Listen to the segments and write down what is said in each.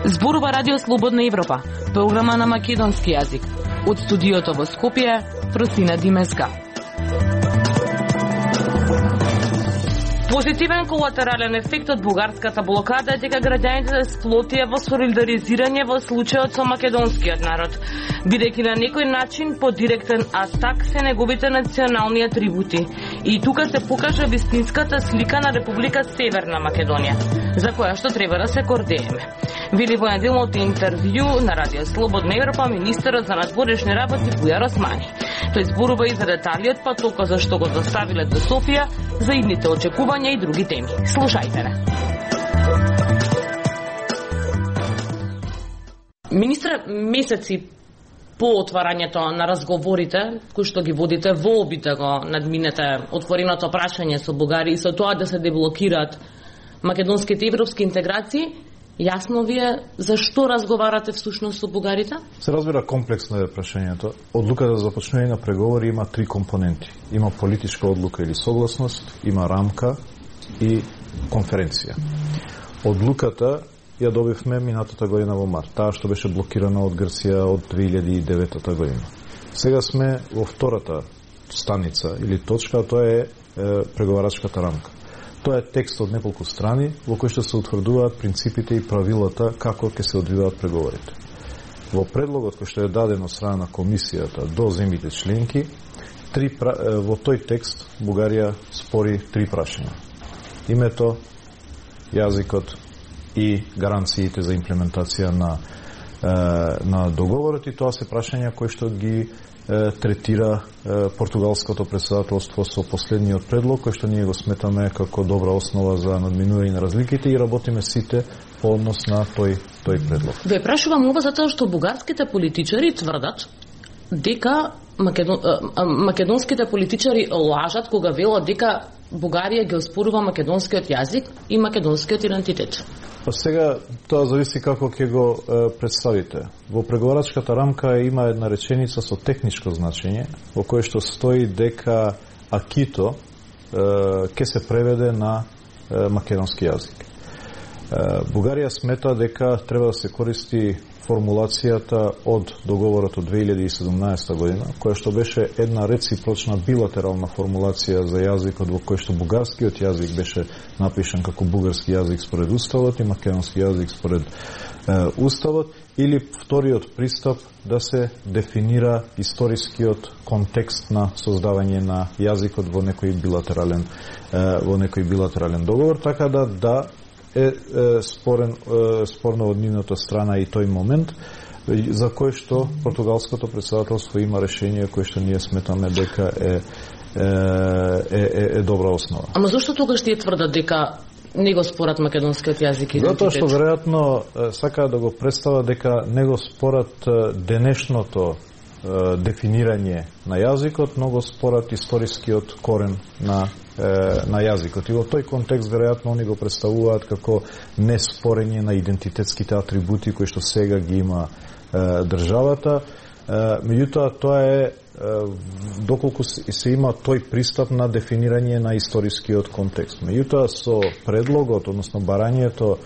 Зборува Радио Слободна Европа, програма на македонски јазик. Од студиото во Скопје, Просина Димеска. Позитивен колатерален ефект од бугарската блокада е дека граѓаните сплотија во солидаризирање во случајот со македонскиот народ, бидејќи на некој начин по директен атак се неговите национални атрибути. И тука се покажа вистинската слика на Република Северна Македонија, за која што треба да се гордееме. Вели во неделното интервју на Радио Слободна Европа министерот за надворешни работи Бујар Османи. Тој зборува и за деталиот патока за што го доставиле до Софија, за идните очекувања и други теми. Слушајте не. Министре, месеци по отварањето на разговорите кои што ги водите во обид да го надминете отвореното прашање со Бугарија и со тоа да се деблокираат македонските европски интеграции, јасно ви е за што разговарате всушност со бугарите? Се разбира комплексно е прашањето. Одлуката за започнување на преговори има три компоненти. Има политичка одлука или согласност, има рамка и конференција. Одлуката ја добивме минатата година во март, таа што беше блокирана од Грција од 2009 година. Сега сме во втората станица или точка, тоа е преговарачката рамка. Тоа е текст од неколку страни во кој што се утврдуваат принципите и правилата како ќе се одвиваат преговорите. Во предлогот кој што е даден од страна на комисијата до земјите членки, во тој текст Бугарија спори три прашања. Името, јазикот и гаранциите за имплементација на договорот, и тоа се прашања кои што ги третира португалското председателство со последниот предлог, кој што ние го сметаме како добра основа за надминување на разликите и работиме сите по однос на тој предлог. Ве прашувам ова затоа што бугарските политичари тврдат дека македонските политичари лажат кога велат дека Бугарија ги оспорува македонскиот јазик и македонскиот идентитет. Сега тоа зависи како ќе го представите. Во преговарачката рамка има една реченица со техничко значење во кој што стои дека акито ќе се преведе на македонски јазик. Бугарија смета дека треба да се користи формулацијата од договорот од 2017 година, која што беше една реципрочна билатерална формулација за јазикот во кој што бугарскиот јазик беше напишан како бугарски јазик според уставот и македонски јазик според уставот, или вториот пристап да се дефинира историскиот контекст на создавање на јазикот во некој билатерален договор, така да е спорно од нивната страна и тој момент за кој што португалското председателство има решение кој што ние сметаме дека е добра основа. Ама зошто тогаш тие тврдат дека не го спорат македонскиот јазик и идентитет? Затоа што веројатно сакаат да го представат дека не го спорат денешното дефинирање на јазикот, но го спорат историскиот корен на јазикот. И во тој контекст веројатно они го представуваат како неспорење на идентитетските атрибути кои што сега ги има државата. Меѓутоа тоа е доколку се има тој пристап на дефинирање на историскиот контекст. Меѓутоа со предлогот, односно барањето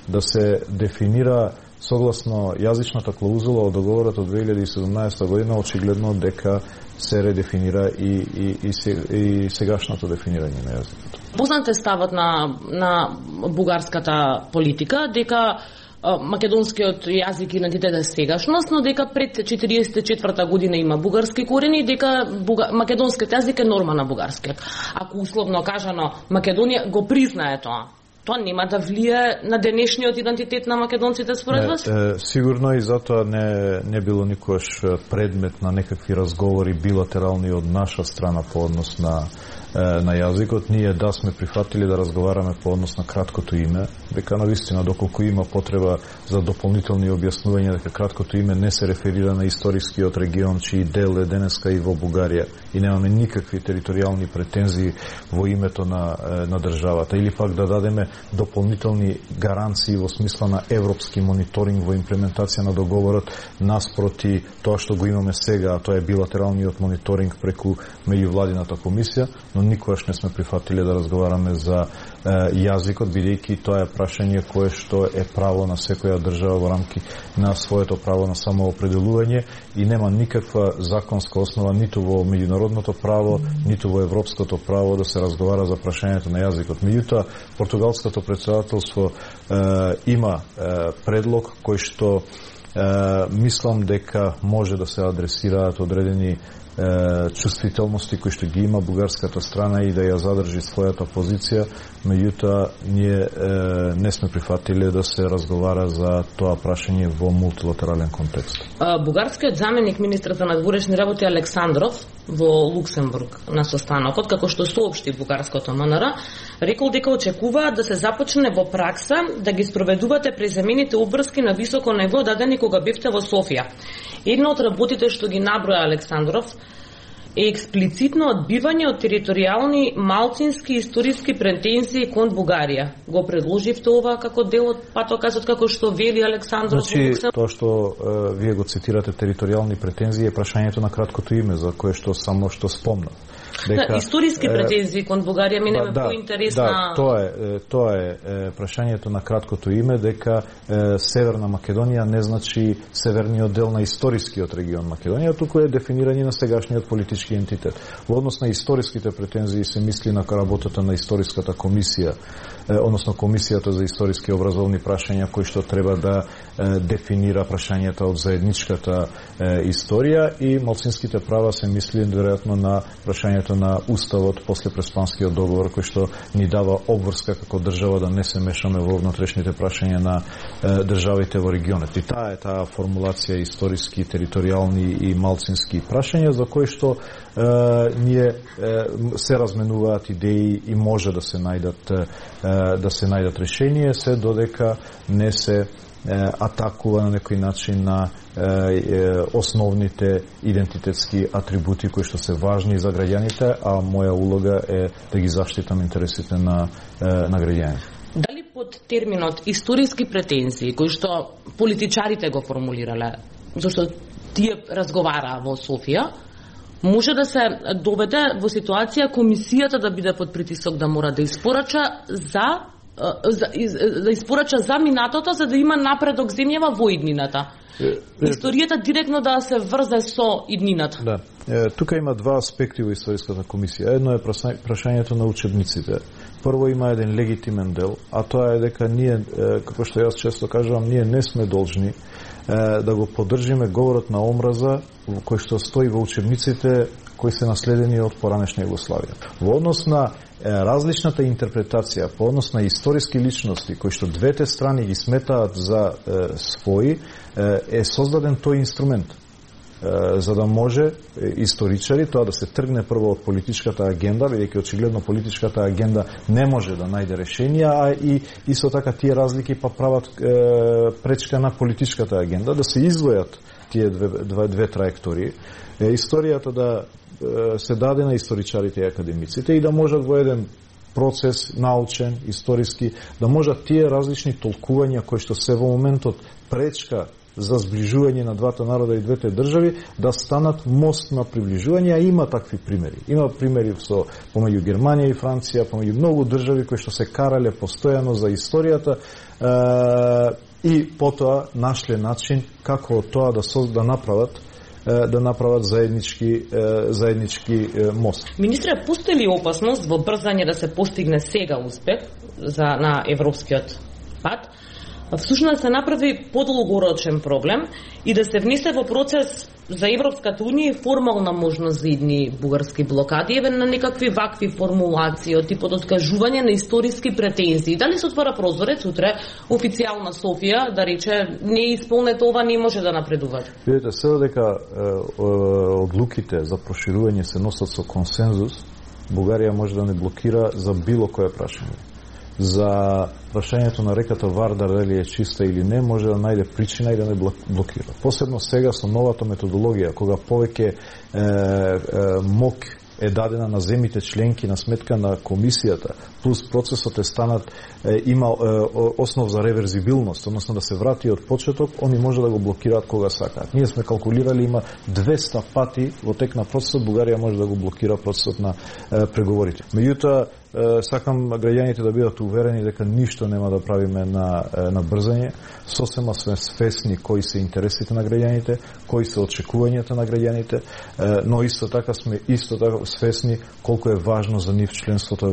да се дефинира согласно јазичната клаузула од договорот од 2017 година, очигледно дека се редефинира и сегашното дефинирање на јазикот. Познат е ставот на бугарската политика дека македонскиот јазик и идентитет е сегашност, но дека пред 1944 година има бугарски корени и дека македонскиот јазик е норма на бугарскиот. Ако условно кажано Македонија го признае тоа нема да влие на денешниот идентитет на македонците според вас? Сигурно, и затоа не било никогаш предмет на некакви разговори билатерални од наша страна по однос на на јазикот. Ние сме прифатили да разговараме по однос на краткото име, дека навистина доколку има потреба за дополнителни објаснувања дека краткото име не се реферира на историскиот регион чиј дел е денеска и во Бугарија и немаме никакви територијални претензии во името на државата, или пак да дадеме дополнителни гаранции во смисла на европски мониторинг во имплементација на договорот наспроти тоа што го имаме сега, а тоа е билатералниот мониторинг преку меѓувладината комисија, но никогаш не сме прифатиле да разговараме за јазикот, бидејќи тоа е прашање кое што е право на секоја држава во рамки на своето право на самоопределување и нема никаква законска основа ниту во меѓународното право, ниту во европското право да се разговара за прашањето на јазикот. Меѓутоа, португалското претседателство има предлог кој што мислам дека може да се адресираат одредени чувствителности кои што ги има бугарската страна и да ја задржи својата позиција, меѓутоа ние не сме прифатиле да се разговара за тоа прашање во мултилатерален контекст. Бугарскиот заменик министр за надворешни работи Александров во Луксембург на состанокот, како што соопшти бугарското МНР, рекол дека очекуваат да се започне во пракса да ги спроведувате преземените обврски на високо ниво дадени кога бевте во Софија. Една од работите што ги наброја Александров е експлицитно одбивање од територијални малцински историски претензии кон Бугарија. Го предложивте ова како дел од патокасот како што вели Александров? Значи, тоа што вие го цитирате територијални претензии е прашањето на краткото име, за кое што само што спомнав. Дека, историски претензии кон Бугарија минеме поинтересна. Тоа е прашањето на краткото име, дека Северна Македонија не значи северниот дел на историскиот регион Македонија, туку е дефинирање на сегашниот политички ентитет. Во однос на историските претензии се мисли на работата на историската комисија, односно комисијата за историски образовни прашања кои што треба да дефинира прашањата од заедничката историја, и малцинските права се мисли веројатно на прашањето на уставот после Преспанскиот договор, кој што ни дава обврска како држава да не се мешаме во внатрешните прашања на државите во регионот. И таа формулација историски, територијални и малцински прашања за кои што ние се разменуваат идеи и може да се најдат решение, се додека не се атакува на некој начин на основните идентитетски атрибути кои што се важни за граѓаните, а моја улога е да ги заштитам интересите на граѓаните. Дали под терминот историски претензии, кои што политичарите го формулирале, зашто тие разговараа во Софија, може да се доведе во ситуација комисијата да биде под притисок да мора да испорача за минатото, за да има напредок земјава во иднината. Историјата директно да се врзе со иднината. Да. Тука има два аспекти во историската комисија. Едно е прашањето на учебниците. Прво има еден легитимен дел, а тоа е дека ние, како што јас често кажувам, ние не сме должни да го поддржиме говорот на омраза кој што стои во учебниците кои се наследени од поранешна Југославија. Во однос на различната интерпретација, по однос на историски личности кои што двете страни ги сметаат за своји, е создаден тој инструмент за да може историчари тоа да се тргне прво од политичката агенда, бидејќи очигледно политичката агенда не може да најде решенија, а и исто така тие разлики па прават пречка на политичката агенда, да се издвојат тие две траектории. Историјата да се даде на историчарите и академиците и да можат во еден процес научен, историски, да можат тие различни толкувања кои што се во моментот пречка за сближување на двата народа и двете држави да станат мост на приближување, а има такви примери. Има примери помеѓу Германија и Франција, помеѓу многу држави кои што се карале постојано за историјата и потоа нашле начин како тоа да направат заеднички мост. Министре, постои ли опасност во брзање да се постигне сега успех на европскиот пат, всушност се направи подолгорочен проблем и да се внесе во процес за Европската Унија формална можност за идни бугарски блокади, еве на некакви вакви формулации од типот откажување на историски претензии. Дали се отвара прозорец утре официјална Софија да рече не исполнете ова, не може да напредувате? Видете, се дека одлуките за проширување се носат со консензус, Бугарија може да не блокира за било кое прашање. За прашањето на реката Вардар дали е чиста или не, може да најде причина и да не блокира. Посебно сега со новата методологија, кога повеќе мок е дадена на земите членки на сметка на комисијата, плюс процесот е станат, има основ за реверзибилност, односно да се врати од почеток, они може да го блокираат кога сакаат. Ние сме калкулирали, има 200 пати во тек на процесот, Бугарија може да го блокира процесот на преговорите. Меѓутоа, сакам граѓаните да бидат уверени дека ништо нема да правиме на брзање. Сосема сме свесни кои се интересите на граѓаните, кои се очекувањата на граѓаните, но исто така сме свесни колку е важно за нив членството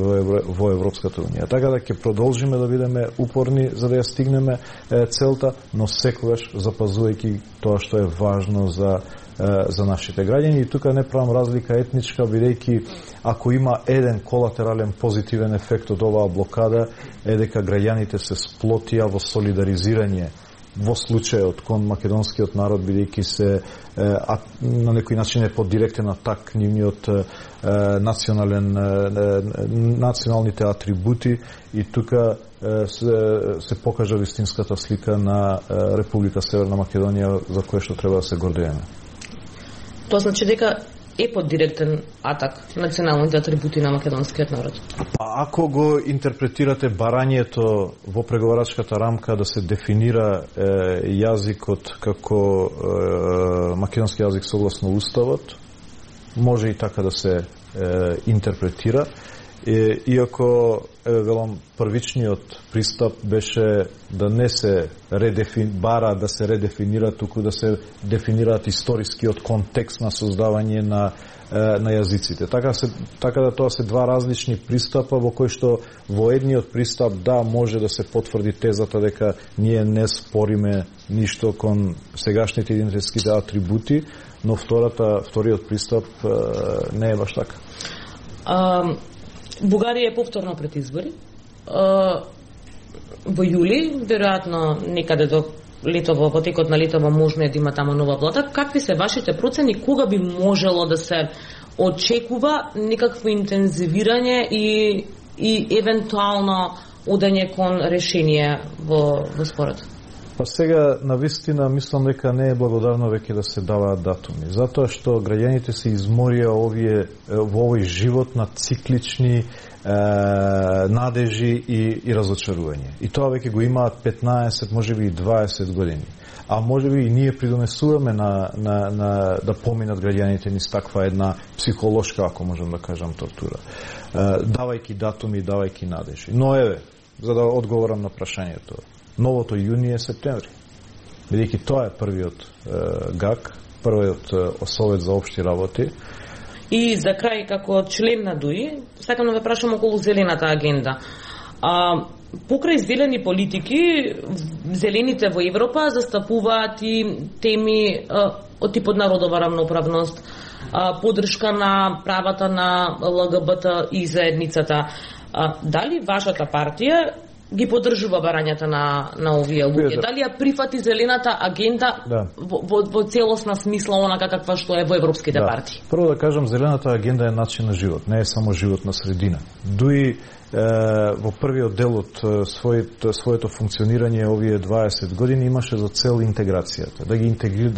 во Европската унија. Така да ќе продолжиме да бидеме упорни за да ја стигнеме целта, но секогаш запазувајќи тоа што е важно за нашите граѓани. И тука не правам разлика етничка, бидејќи ако има еден колатерален позитивен ефект од оваа блокада е дека граѓаните се сплотија во солидаризирање во случајот кон македонскиот народ, бидејќи се на некој начин е под директен атак нивниот националните атрибути и тука се покажа вистинската слика на Република Северна Македонија за која што треба да се гордееме. Тоа значи дека е под директен атак националните атрибути на македонскиот народ. Ако го интерпретирате барањето во преговарачката рамка да се дефинира јазикот како македонски јазик согласно уставот, може и така да се интерпретира. Иако, велам, првичниот пристап беше да не се бара да се редефинира, туку да се дефинираат историскиот контекст на создавање на јазиците. Така да тоа се два различни пристапа во кои што во едниот пристап може да се потврди тезата дека ние не спориме ништо кон сегашните идентитетските атрибути, но вториот пристап не е баш така. Бугарија е повторно пред избори. Во јули, веројатно некаде до летово, во текот на летово можно е да има таму нова влада. Какви се вашите процени, кога би можело да се очекува некакво интензивирање и евентуално одење кон решение во спорот? Па сега, навистина, мислам дека не е благодарно веќе да се даваат датуми. Затоа што граѓаните се изморија во овој живот на циклични надежи и разочарување. И тоа веќе го имаат 15, можеби и 20 години. А можеби и ние придонесуваме да поминат граѓаните низ таква една психолошка, ако можам да кажам, тортура. Давајќи датуми, давајќи надежи. Но за да одговорам на прашањето, новото јуни е септември. Бидејќи тоа е првиот ГАК, првиот Совет за општи работи. И за крај, како член на ДУИ, сакам да ве прашам околу зелената агенда. Покрај зелени политики, зелените во Европа застапуваат и теми од типот народова рамноправност, поддршка на правата на ЛГБТ и заедницата. Дали вашата партија ги поддржува барањата на овие луѓе? Дали ја прифати зелената агенда во целосна смисла онака каква што е во европските партии? Прво да кажам, зелената агенда е начин на живот, не е само живот на средина. ДУИ во првиот дел од своето функционирање овие 20 години имаше за цел интеграцијата, да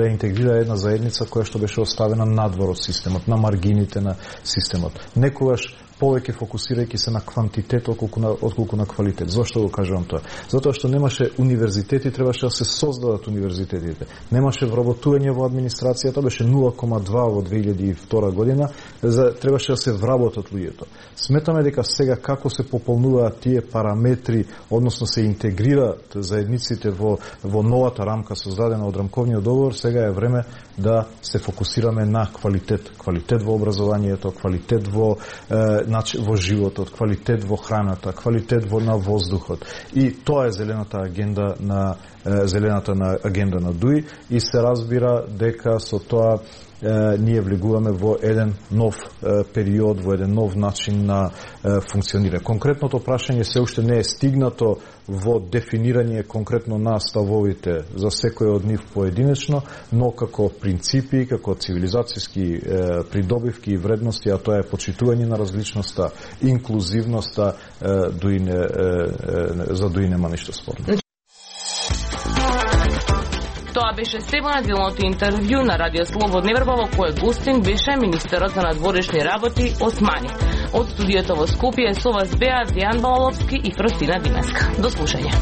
интегрира една заедница која што беше оставена надвор од системот, на маргините на системот. Некогаш повеќе фокусирајќи се на квантитет отколку на квалитет. Зошто го кажувам тоа? Затоа што немаше универзитети, требаше да се создадат универзитетите. Немаше вработување во администрацијата, беше 0,2 во 2002 година, требаше да се вработат луѓето. Сметаме дека сега како се пополнуваат тие параметри, односно се интегрираат заедниците во новата рамка создадена од рамковниот договор, сега е време да се фокусираме на квалитет. Квалитет во образованието, квалитет во животот, квалитет во храната, квалитет на воздухот. И тоа е зелената агенда зелената на агенда на ДУИ и се разбира дека со тоа ние влегуваме во еден нов период, во еден нов начин на функционирање. Конкретното прашање се уште не е стигнато во дефинирање конкретно на ставовите за секој од нив поединечно, но како принципи, како цивилизацијски придобивки и вредности, а тоа е почитување на различноста, инклузивноста, за ДУИ нема ништо спорно. Тоа беше се во неделното интервју на Радио Слободна Европа, во кој гостин беше министерот за надворешни работи Османи. Од студиото во Скопје со вас беа Дејан Балаловски и Фростина Димеска. До слушање.